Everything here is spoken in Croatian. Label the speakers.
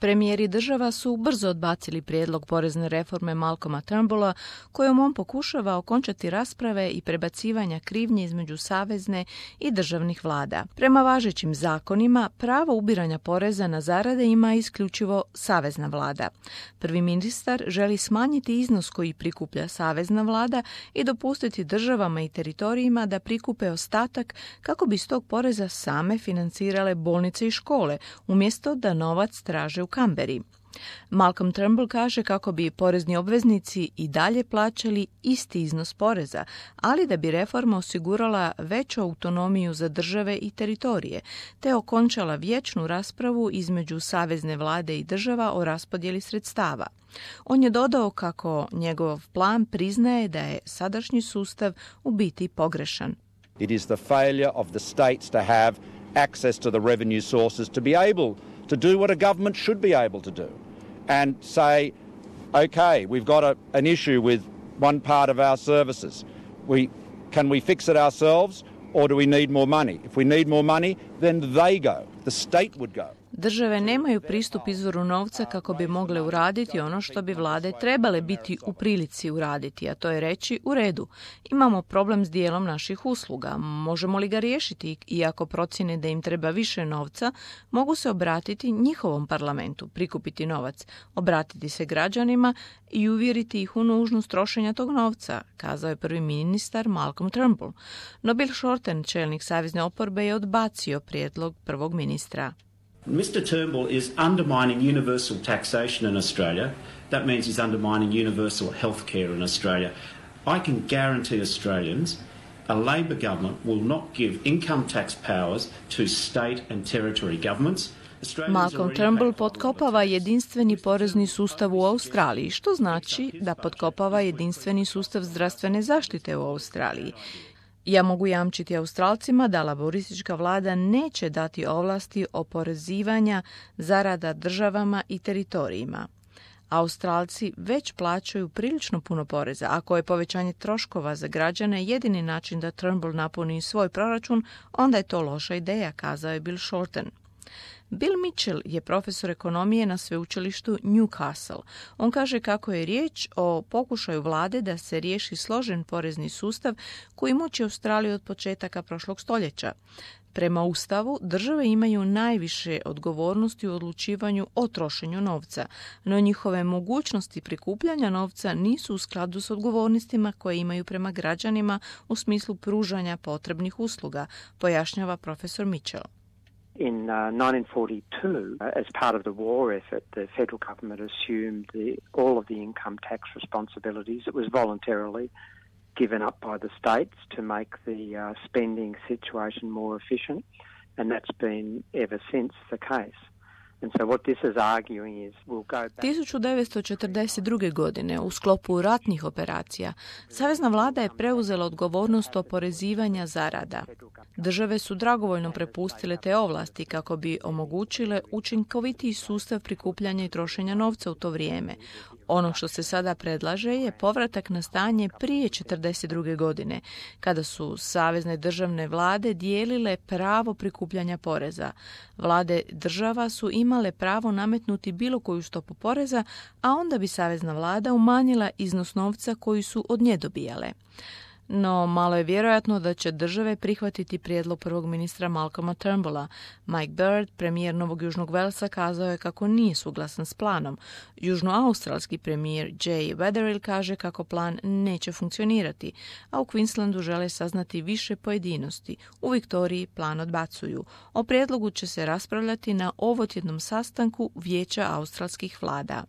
Speaker 1: Premijeri država su brzo odbacili prijedlog porezne reforme Malcolma Turnbulla, kojom on pokušava okončati rasprave i prebacivanja krivnje između savezne i državnih vlada. Prema važećim zakonima, pravo ubiranja poreza na zarade ima isključivo savezna vlada. Prvi ministar želi smanjiti iznos koji prikuplja savezna vlada i dopustiti državama i teritorijima da prikupe ostatak kako bi iz tog poreza same financirale bolnice i škole, umjesto da novac traže u Kamberi. Malcolm Turnbull kaže kako bi porezni obveznici i dalje plaćali isti iznos poreza, ali da bi reforma osigurala veću autonomiju za države i teritorije, te okončala vječnu raspravu između savezne vlade i država o raspodjeli sredstava. On je dodao kako njegov plan priznaje da je sadašnji sustav u biti pogrešan.
Speaker 2: It is the failure of the states to have access to the revenue sources to be able to do what a government should be able to do and say, okay, we've got an issue with one part of our services. Can we fix it ourselves or do we need more money? If we need more money, then they go. The state would go.
Speaker 1: Države nemaju pristup izvoru novca kako bi mogle uraditi ono što bi vlade trebale biti u prilici uraditi, a to je reći u redu. Imamo problem s dijelom naših usluga. Možemo li ga riješiti? I ako procjene da im treba više novca, mogu se obratiti njihovom parlamentu, prikupiti novac, obratiti se građanima i uvjeriti ih u nužnost trošenja tog novca, kazao je prvi ministar Malcolm Turnbull. No Bill Shorten, čelnik savezne oporbe, je odbacio prijedlog prvog ministra.
Speaker 3: Mr. Turnbull is undermining universal taxation in Australia. That means he's undermining universal health care in Australia. I can guarantee Australians a Labor government will not give income tax powers to state and territory governments.
Speaker 1: Malcolm Turnbull potkopava jedinstveni porezni sustav u Australiji, što znači da potkopava jedinstveni sustav zdravstvene zaštite u Australiji. Ja mogu jamčiti Australcima da laboristička vlada neće dati ovlasti oporezivanja zarada državama i teritorijima. Australci već plaćaju prilično puno poreza. Ako je povećanje troškova za građane jedini način da Turnbull napuni svoj proračun, onda je to loša ideja, kazao je Bill Shorten. Bill Mitchell je profesor ekonomije na sveučilištu Newcastle. On kaže kako je riječ o pokušaju vlade da se riješi složen porezni sustav koji muči Australiju od početaka prošlog stoljeća. Prema Ustavu, države imaju najviše odgovornosti u odlučivanju o trošenju novca, no njihove mogućnosti prikupljanja novca nisu u skladu s odgovornostima koje imaju prema građanima u smislu pružanja potrebnih usluga, pojašnjava profesor Mitchell.
Speaker 4: In 1942, as part of the war effort, the federal government assumed all of the income tax responsibilities. It was voluntarily given up by the states to make the spending situation more efficient, and that's been ever since the case. And so what this is arguing is we'll go back.
Speaker 1: 1942. godine u sklopu ratnih operacija savezna vlada je preuzela odgovornost oporezivanja zarada. Države su dragovoljno prepustile te ovlasti kako bi omogućile učinkovitiji sustav prikupljanja i trošenja novca u to vrijeme. Ono što se sada predlaže je povratak na stanje prije 1942. godine, kada su savezne državne vlade dijelile pravo prikupljanja poreza. Vlade država su imale pravo nametnuti bilo koju stopu poreza, a onda bi savezna vlada umanjila iznos novca koji su od nje dobijale. No, malo je vjerojatno da će države prihvatiti prijedlog prvog ministra Malcolma Turnbulla. Mike Bird, premijer Novog Južnog Velsa, kazao je kako nije suglasan s planom. Južnoaustralski premijer Jay Weatherill kaže kako plan neće funkcionirati, a u Queenslandu žele saznati više pojedinosti. U Viktoriji plan odbacuju. O prijedlogu će se raspravljati na ovotjednom sastanku Vijeća australskih vlada.